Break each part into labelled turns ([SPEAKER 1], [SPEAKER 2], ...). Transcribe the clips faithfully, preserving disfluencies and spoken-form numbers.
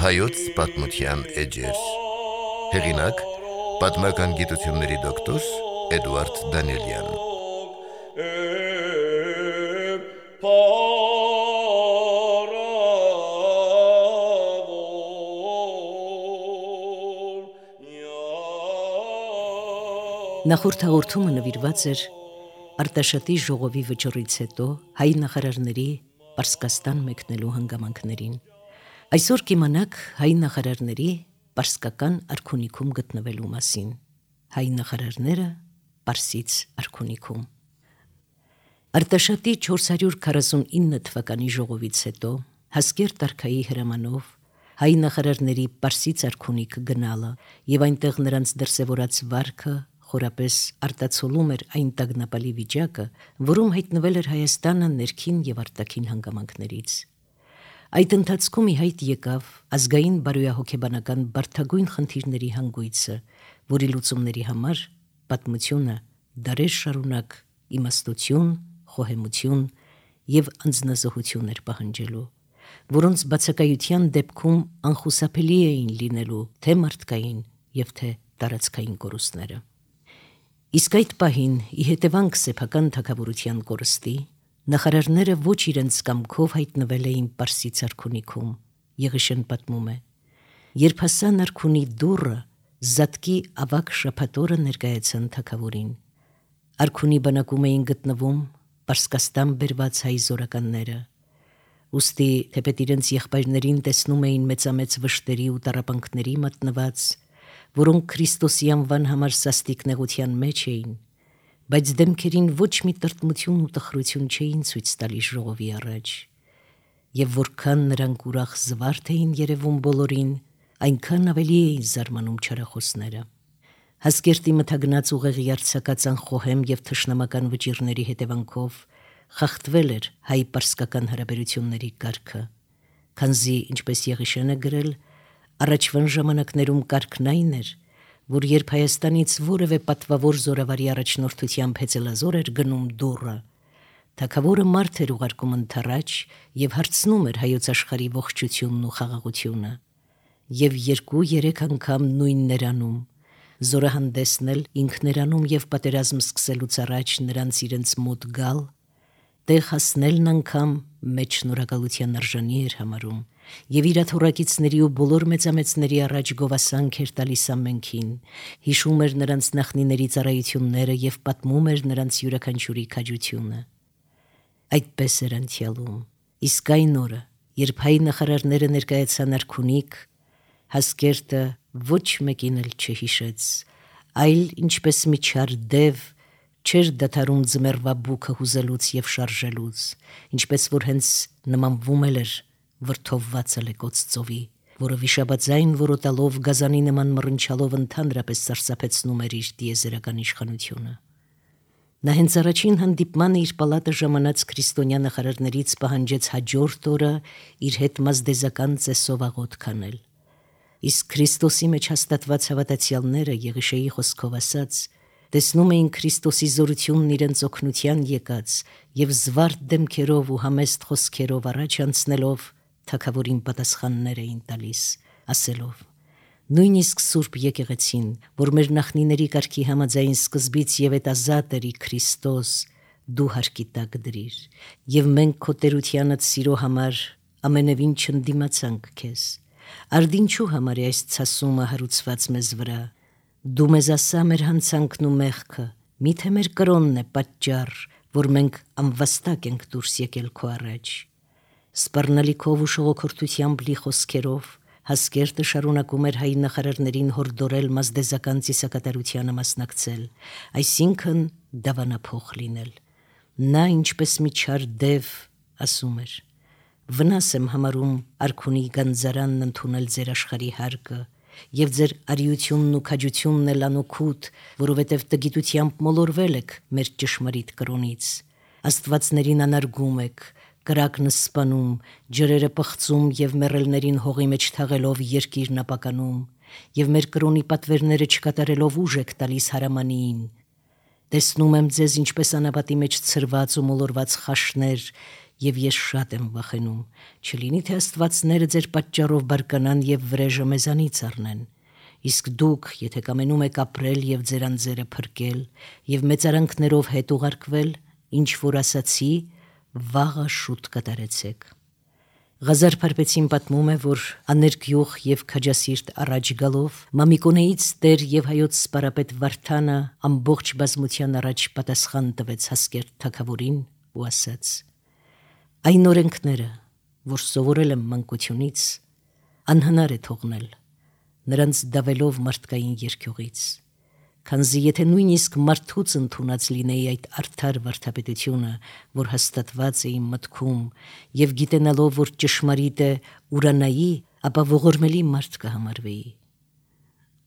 [SPEAKER 1] Հայոց պատմության էջեր։ Հեղինակ՝ պատմական գիտությունների դոկտոր Էդուարդ Դանիելյան։
[SPEAKER 2] Նախորդ հաղորդումը նվիրված էր Արտաշատի ժողովի վճռից հետո հայ նախարարների Պարսկաստան մեկնելու հանգամանքներին։ Այսօր կիմանաք հայ նախարարների պարսկական արքունիքում գտնվելու մասին։ Հայ նախարարները Պարսից արքունիքում։ Արտաշատի չորս հարյուր քառասունինը թվականի ժողովից հետո Հասկերտ արքայի հրամանով հայ նախարարների Պարսից արքունիք գնալը եւ այնտեղ նրանց դրսեւորած վարքը խորապես արտացոլում էր այն տագնապալի վիճակը, որում հայտնվել էր Հայաստանը ներքին եւ արտաքին հանգամանքներից։ Այդ ընթացքում ի հայտ եկավ ազգային բարոյահոգեբանական բարդագույն խնդիրների հանգույցը, որի լուծումների համար պատմությունը դարեր շարունակ իմաստություն, խոհեմություն եւ անձնազոհություն էր պահանջելու, որոնց բացակայության դեպքում անխուսափելի էին լինելու թե մարդկային եւ թե տարածքային կորուստները։ Իսկ այդ պահին, ի հետևանք սեփական թագավորության կորստի, նախարարները ոչ իրենց կամքով հայտնվել էին Պարսից արքունիքում, Եղիշեն պատմում է. երբ հասան արքունի դուռը, զատկի ավագ շաբաթօրը ներկայացան թագավորին։ Արքունի բանակում էին գտնվում Պարսկաստան բերված հայ զորականները, ուստի թեպետ իրենց եղբայրներին տեսնում էին մեծամեծ վշտերի ու տառապանքների մատնված, որոնք Քրիստոսի անվան համար սաստիկ նեղության մեջ էին, բայց դեմքերին ոչ մի տրտմություն ու տխրություն չէին ցույց տալիս ժողովի առաջ, եւ որքան նրանք ուրախ զվարթ էին երևում բոլորին, այնքան ավելի էին զարմանում չարախոսները։ Հասկերտի մթագնաց ուղեղի արձակած անխոհեմ եւ թշնամական վճիռների հետևանքով խախտվել էր հայ-պարսկական հարաբերությունների կարգը, քանզի, ինչպես Եղիշեն է գրել, առաջվան ժամանակներում կարգն այն էր, որ երբ Հայաստանից որևէ պատվավոր զորավարի առաջնորդությամբ հեծելազոր էր գնում դուռը, թագավորը մարդ էր ուղարկում ընդառաջ եւ հարցնում էր հայոց աշխարհի ողջությունն ու խաղաղությունը, եւ երկու-երեք անգամ նույնն էր անում, զորահանդեսն էլ ինքներանում եւ պատերազմ սկսելուց առաջ նրանց իրենց մոտ գալ, տեղ հասնելն անգամ մեծ շնորհակալության արժանի էր համարում, եւ իր աթոռակիցների ու բոլոր մեծամեծների առաջ գովասանք էր տալիս ամենքին, հիշում էր նրանց նախնիների ծառայությունները եւ պատմում էր նրանց յուրաքանչյուրի քաջությունը։ Այդպես էր անցյալում, իսկ այն օրը, երբ հայ նախարարները ներկայացան արքունիք, Հասկերտը ոչ մեկին էլ չհիշեց, այլ ինչպես մի չար դև չէր դադարում ձմեռվա բուքը հուզելուց եւ շարժելուց, ինչպես որ հենց նմանվում էր վրդովված ալեկոծ ծովի, որը վիշապաձայն որոտալով գազանի նման մռնչալով ընդհանրապես սարսափեցնում էր իր տիեզերական իշխանությունը։ Նա հենց առաջին հանդիպմանը իր պալատը ժամանած քրիստոնյա նախարարներից պահանջեց հաջորդ օրը իր հետ մազդեզական ծեսով աղոթ քանել։ Իսկ Քրիստոսի մեջ հաստատված հավատացյալները, Եղիշեի խոսքով ասած, տեսնում էին Քրիստոսի զորությունն իրենց օգնության եկած եւ զվարթ դեմքերով ու համեստ խոսքերով առաջ անցնելով թագավորին պատասխաններ էին տալիս, ասելով. նույնիսկ Սուրբ եկեղեցին, որ մեր նախնիների կարգի համաձայն սկզբից եւ հետազատ էր Քրիստոս, դու հարկի տակ դրիր, եւ մենք քո տերությանդ սիրո համար ամենևին չընդդիմացանք քեզ։ Արդ ինչու համար է այս ցասումը հարուցված մեզ վրա։ Դու մեզ ասա մեր հանցանքն ու մեղքը, միթե մեր կրոնն է պատճառ, որ մենք անվաստակ ենք դուրս եկել քո առաջ։ Սպառնալիքով ու շողոքորթությամբ լի խոսքերով Հասկերտը շարունակում էր հայ նախարարներին հորդորել մազդեզական ծիսակատարությանը մասնակցել, այսինքն դավանափոխ լինել։ Նա ինչպես մի չար դև ասում էր. վնաս եմ համարում արքունի գանձարանն ընդունել ձեր աշխարհի հարկը, եւ ձեր արիությունն ու քաջությունն էլ անօգուտ, որովհետեւ տգիտությամբ մոլորվել եք մեր ճշմարիտ կրոնից։ Աստվածներին անարգում եք, կրակն սպանում, ջրերը պղծում եւ մեռելներին հողի մեջ թաղելով երկիրն ապականում, եւ մեր կրոնի պատվերները չկատարելով ուժ եք տալիս հարամանիին։ Տեսնում եմ ձեզ ինչպես անապատի մեջ ցրված ու մոլորված խաշներ եւ ես շատ եմ վախենում, չլինի թե Աստվածները ձեր պատճառով բարկանան եւ վրեժը մեզանից առնեն։ Իսկ դուք, եթե կամենում եք ապրել եւ ձեր անձերը փրկել եւ մեծարանքներով հետ ուղարկվել, ինչ որ ասացի, վաղը շուտ կատարեցեք։ Ղազար Փարպեցին պատմում է, որ աներկյուղ եւ քաջասիրտ առաջ գալով Մամիկոնեից Տեր եւ հայոց սպարապետ Վարդանը ամբողջ բազմության առաջ պատասխան տվեց Հասկերտ թագավորին ու ասաց. «Այն օրենքները, որ սովորել եմ մանկությունից, անհնար է թողնել, նրանց դավելով մարդկային երկյուղից, քանզի եթե նույնիսկ մարդուց ընդունած լինեի այդ արդար վարդապետությունը, որ հաստատված է իմ մտքում, եւ գիտենալով, որ ճշմարիտ է ուրանայի, ապա ողորմելի մարդ կհամարվեի։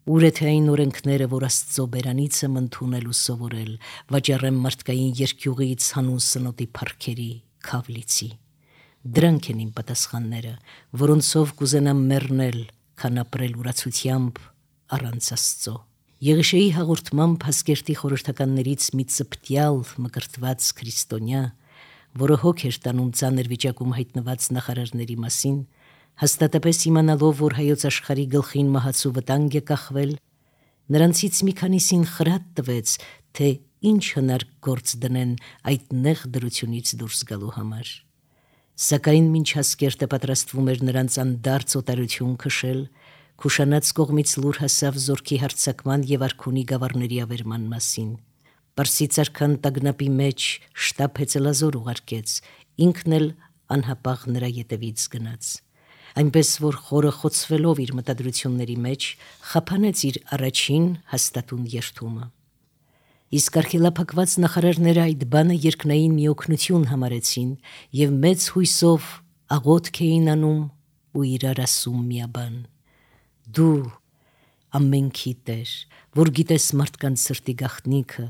[SPEAKER 2] Ուր է թե այն օրենքները, որ Աստծո բերանից եմ ընդունել ու սովորել, վաճառեմ մարդկային երկյուղից հանուն սնոտի փառքերի, քավլիցի։ Դրանք են իմ պատասխանները, որոնցով կուզենամ մեռնել, քան ապրել ուրացությամբ առանց Աստծո»։ Եղիշեի հաղորդմամբ Հասկերտի խորհրդականներից մի ծպտյալ մկրտված քրիստոնյա, որը հոգ էր տանում ծանր վիճակում հայտնված նախարարների մասին, հաստատապես իմանալով, որ հայոց աշխարհի գլխին մահացու վտանգ է կախվել, նրանցից մի քանիսին խրատ տվեց, թե ինչ հնարք գործ դնեն այդ նեղ դրությունից դուրս գալու համար։ Սակայն մինչ Հասկերտը պատրաստվում էր նրանց անդարձ օտարություն քշել, Քուշանաց կողմից լուր հասավ զորքի հարձակման եւ արքունի գավառների ավերման մասին։ Պարսից արքան տագնապի մեջ շտապ հեծելազոր ուղարկեց, ինքն էլ անհապաղ նրա ետևից գնաց։ Այնպես որ խորը խոցվելով իր մտադրությունների մեջ, խափանեց իր առաջին հաստատուն երթումը։ Իսկ արքելափակված նախարարները այդ բանը երկնային մի օգնություն համարեցին եւ մեծ հույսով աղոթք էին անում ու իրար ասում միաբան. «Դու ամենքի Տեր, որ գիտես մարդկանց սրտի գաղտնիքը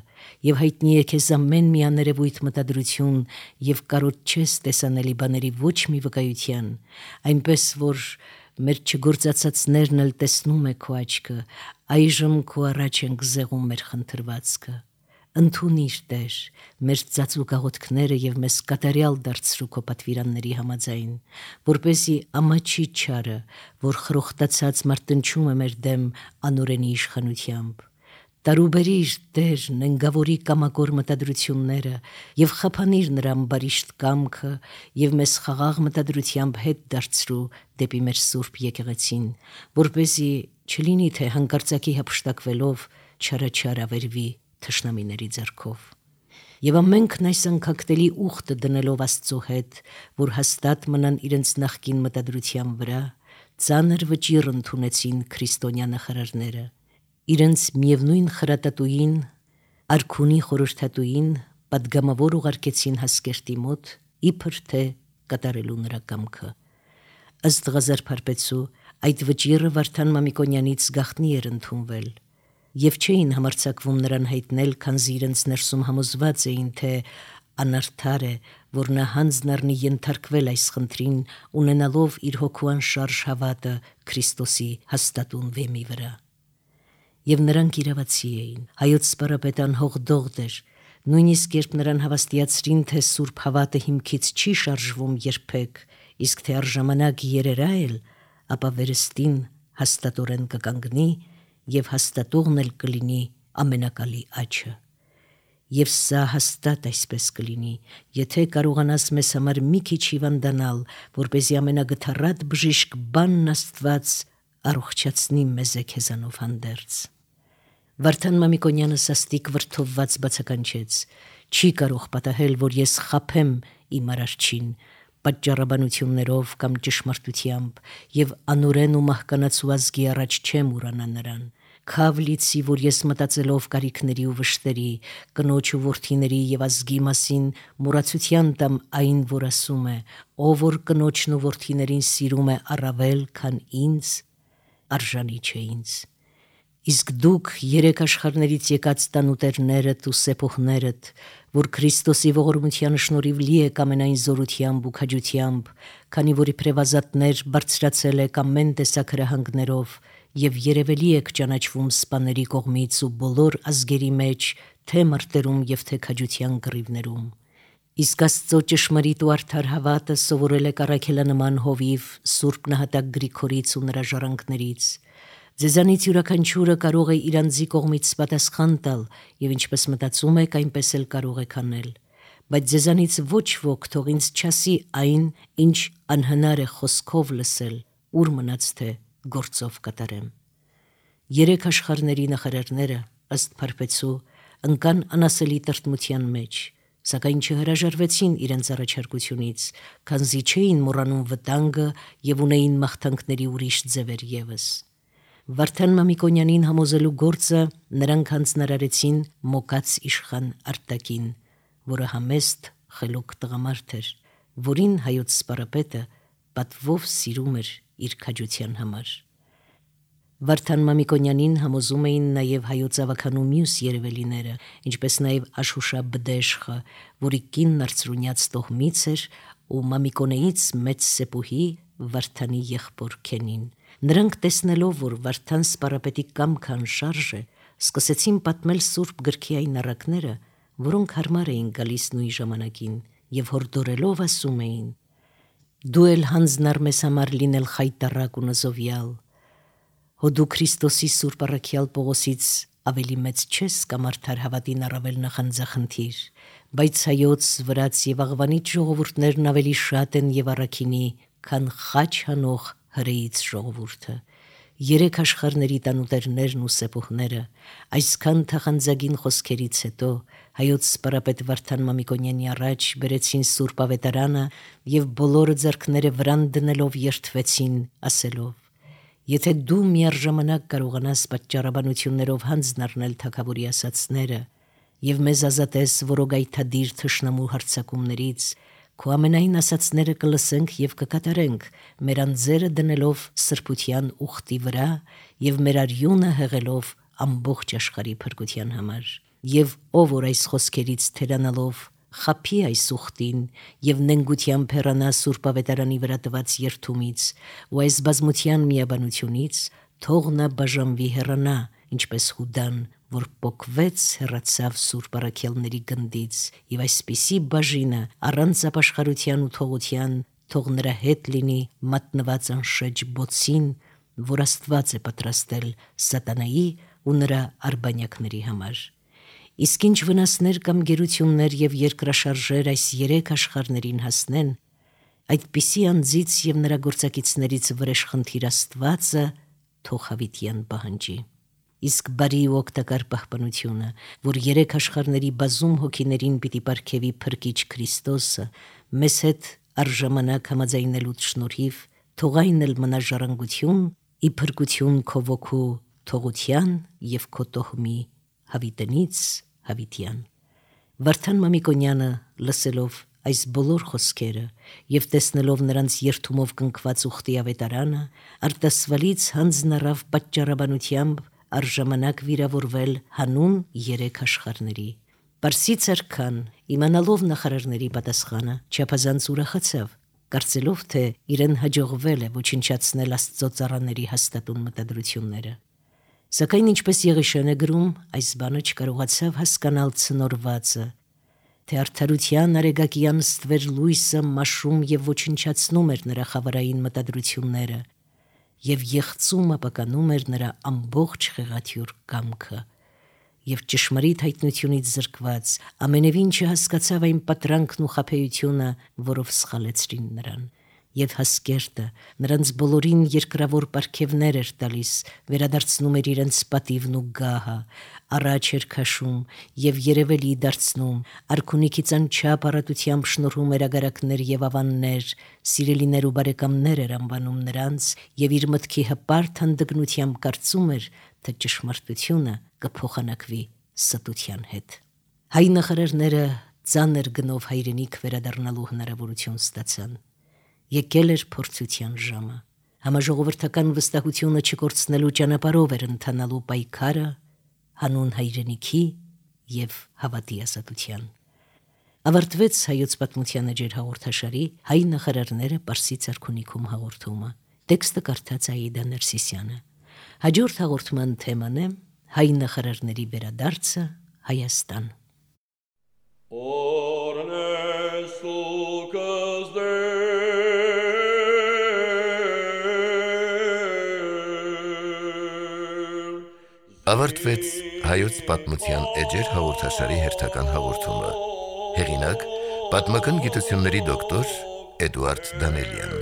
[SPEAKER 2] եւ հայտնի է քեզ ամեն մի աներևույթ մտադրություն եւ կարոտ չես տեսանելի բաների ոչ մի վկայության, այնպես որ մեր չգործածածներն էլ տեսնում է քո աչքը, այժմ քո առաջ ենք զեղում մեր խնդրվածքը։ Ընդունիր, Տեր, մեր ծածուկ աղոթքները եւ մեզ կատարյալ դարձրու քո պատվիրանների համաձայն, որպեսզի ամաչի չարը, որ խրոխտացած մարտնչում է մեր դեմ անօրենի իշխանությամբ։ Տարուբերիր, Տեր, նենգավորի կամակոր մտադրությունները եւ խափանիր նրան բարիշտ կամքը եւ մեզ խաղաղ մտադրությամբ հետ դարձրու դեպի մեր սուրբ եկեղեցին, որպեսզի չլինի թե հանկարծակի հափշտակվելով չարաչար ավերվի թշնամիների ձեռքով։ Եվ ամենքն այս անկակտելի ուխտը դնելով Աստծո հետ, որ հաստատ մնան իրենց նախկին մտադրության վրա, ծանր վճիռ ընդունեցին քրիստոնյա նախարարները, իրենց միևնույն խրատատուին, արքունի խորհրդատուին պատգամավոր ուղարկեցին Հասկերտի մոտ, իբր թե կատարելու նրա կամքը։ Ըստ Ղազար Փարպեցու, այդ վճիռը Վարդան Մամիկոնյանից գաղտնի էր ընդունվել, եւ չէին համարձակվում նրան հայտնել, քանզի իրենց ներսում համոզված էին, թե անարդար է, որ նա հանձն առնի ենթարկվել այս խնդրին, ունենալով իր հոգու անշարժ հավատը Քրիստոսի հաստատուն վեմի վրա։ Եվ նրանք իրավացի էին, հայոց սպարապետը անհողդողդ էր, նույնիսկ երբ նրան հավաստիացրին, թե սուրբ հավատը հիմքից չի շարժվում երբեք, իսկ թե առժամանակ երերա էլ, ապա վերստին հաստատորեն կկանգնի եւ հաստատողն էլ կլինի ամենակալի աչը։ Եվ սա հաստատ այսպես կլինի, եթե կարողանաս մեզ համար մի քիչ հիվանդանալ, որպեսզի ամենագթառատ բժիշկ բանն Աստված առողջացնի մեզ քեզանով հանդերձ։ Վարդան Մամիկոնյանը սաստիկ վրդովված բացականչեց. «Չի կարող պատահել, որ ես խափեմ իմ արարչին պատճառաբանություններով կամ ճշմարտությամբ եւ անօրեն ու մահկանացու ազգի առաջ չեմ ուրանա նրան։ Քավ լիցի, որ ես մտածելով կարիքների ու վշտերի, կնոջ ու որդիների եւ ազգի մասին մոռացության տամ այն, որ ասում է, ով որ կնոջն ու որդիներին սիրում է առավել, քան ինձ, արժանի չէ ինձ։ Իսկ դուք երեք աշխարհներից եկած տանուտերներդ ու սեպոհներդ, որ Քրիստոսի ողորմության շնորհիվ լի եք ամենայն զորությամբ ու քաջությամբ, քանի որ իբրև ազատներ բարձրացել եք ամեն տեսակ հրահանգներով եւ երևելի եք ճանաչվում սպաների կողմից ու բոլոր ազգերի մեջ, թե մարտերում եւ թե քաջության կռիվներում։ Իսկ Աստծո ճշմարիտ ու արդար հավատը սովորել եք առաքելանման հովիվ Սուրբ Նահատակ Գրիգորից ու նրա ժառանգներից։ Ձեզանից յուրաքանչյուրը կարող է իր անձի կողմից պատասխան տալ, եւ ինչպես մտածում եք, այնպես էլ կարող եք անել։ Բայց ձեզանից ոչ ոք թող ինձ չասի այն, ինչ անհնար է խոսքով լսել, ուր մնաց թե գործով կատարեմ։ Երեք աշխարհների նախարարները, ըստ Փարպեցու, ընկան անասելի տրտմության մեջ, սակայն չհրաժարվեցին իրենց առաջարկությունից, քանզի չէին մոռանում վտանգը եւ ունեին մաղթանքների ուրիշ ձևեր ևս։ Վարդան Մամիկոնյանին համոզելու գործը նրանք հանձնարարեցին Մոկած իշխան Արտակին, որը համեստ խելոք տղամարդ էր, որին հայոց սպարապետը պատվով սիրում էր իր քաջության համար։ Վարդան Մամիկոնյանին համոզում էին նաև հայոց ավականու մյուս երևելիները, ինչպես նաև Աշուշա Բդեշխը, որի կինն արծրունյաց տոհմից էր, ու Մամիկոնեից մեծ սեպուհի Վարդանի եղբոր Քենին։ Նրանք տեսնելով, որ Վարդան սպարապետի կամքը անշարժ է, սկսեցին պատմել Սուրբ գրքի այն առակները, որոնք հարմար էին գալիս նույն ժամանակին, եւ հորդորելով ասում էին. «Դու էլ հանձնար մեզ համար լինել խայտառակ ու նզովյալ, հո դու Քրիստոսի Սուրբ առաքյալ Պողոսից ավելի մեծ չես կամ արդար հավատին առավել նախանձախնդիր, բայց հայոց, վրաց եւ աղվանից ժողովուրդներն ավելի շատ են եւ առաքինի, քան խաչ հանող հրեից ժողովուրդը։ Երեք աշխարհների տանուտերներն ու սեպուհները այսքան թախանձագին խոսքերից հետո հայոց սպարապետ Վարդան Մամիկոնյանի առաջ բերեցին Սուրբ Ավետարանը եւ բոլորը ձեռքները վրան դնելով երդվեցին, ասելով. «Եթե դու միառժամանակ կարողանաս պատճառաբանություններով հանձն առնել թագավորի ասացները եւ մեզ ազատես որոգայթադիր թշնամու հարձակումներից, քո ամենայն ասացները կլսենք եւ կկատարենք, մեր անձերը դնելով սրբության ուխտի վրա եւ մեր արյունը հեղելով ամբողջ աշխարհի փրկության համար։ Եվ ով որ այս խոսքերից թերանալով խափի այս ուխտին եւ նենգությամբ հեռանա Սուրբ Ավետարանի վրա տված երդումից ու այս բազմության միաբանությունից, թող նա բաժանվի հեռանա, ինչպես Հուդան, որ պոկվեց հեռացավ Սուրբ առաքյալների գնդից, եւ այսպիսի բաժինը առանց ապաշխարության ու թողության թող նրա հետ լինի մատնված անշեջ բոցին, որ Աստված է պատրաստել սատանայի ու նրա արբանյակների համար։ Իսկ ինչ վնասներ կամ գերություններ եւ երկրաշարժեր այս երեք աշխարհներին հասնեն, այդպիսի անձից եւ նրա գործակիցներից վրեժխնդիր Աստվածը թող հավիտյան պահանջի։ Իսկ բարի ու օգտակար պահպանությունը, որ երեք աշխարհների բազում հոգիներին պիտի պարգևի Փրկիչ Քրիստոսը, մեզ հետ առժամանակ համաձայնելուց շնորհիվ, թող այն էլ մնա ժառանգություն, ի փրկություն քո ոգու թողության եւ քո տոհմի հավիտենից հավիտյան։ Վարդան Մամիկոնյանը լսելով այս բոլոր խոսքերը եւ տեսնելով նրանց երթումով կնքված ուխտի ավետարանը, արտասվալից հանձն առավ պատճառաբանությամբ առժամանակ վիրավորվել հանուն երեք աշխարհների։ Պարսից արքան, իմանալով նախարարների պատասխանը, չափազանց ուրախացավ, կարծելով, թե իրեն հաջողվել է ոչնչացնել Աստծո ծառաների հաստատուն մտադրությունները։ Սակայն ինչպես Եղիշեն է գրում, այս բանը չկարողացավ հասկանալ ցնորվածը, թե արդարության արեգակյան ստվեր լույսը մաշում եւ ոչնչացնում էր նրա խավարային մտադրությունները եւ եղծում ապականում էր նրա ամբողջ խեղաթյուրք կամքը, եւ ճշմարիտ հայտնությունից զրկված ամենևին չհասկացավ այն պատրանքն ու խաբեությունը, որով սխալեցրին նրան։ Եվ հասկերտը նրանց բոլորին երկրավոր պարգևներ էր տալիս, վերադարձնում էր իրենց պատիվն ու գահը, առաջ էր քաշում եւ երևելի դարձնում, արքունիքից անչափ առատությամբ շնորհում էր ագարակներ եւ ավաններ, սիրելիներ ու բարեկամներ էր անվանում նրանց եւ իր մտքի հպարտ հանդգնությամբ կարծում էր, թե ճշմարտությունը կփոխանակվի ստության հետ։ Հայ նախարարները ծանր գնով հայրենիք վերադառնալու հնարավորություն ստացան։ Եկել էր փորձության ժամը։ Համաժողովրդական վստահությունը չկորցնելու ճանապարհով էր ընթանալու պայքարը հանուն հայրենիքի եւ հավատի ազատության։ Ավարտվեց հայոց պատմության էջեր հաղորդաշարի հայ նախարարները Պարսից արքունիքում հաղորդումը։ Տեքստը կարդաց Աիդա Ներսիսյանը։ Հաջորդ հաղորդման թեման է հայ նախարարների վերադարձը Հայաստան։ Օրներ
[SPEAKER 1] Ավարտվեց հայոց պատմության էջեր հաղորդաշարի հերթական հաղորդումը։ Հեղինակ՝ պատմական գիտությունների դոկտոր Էդուարդ Դանելյան։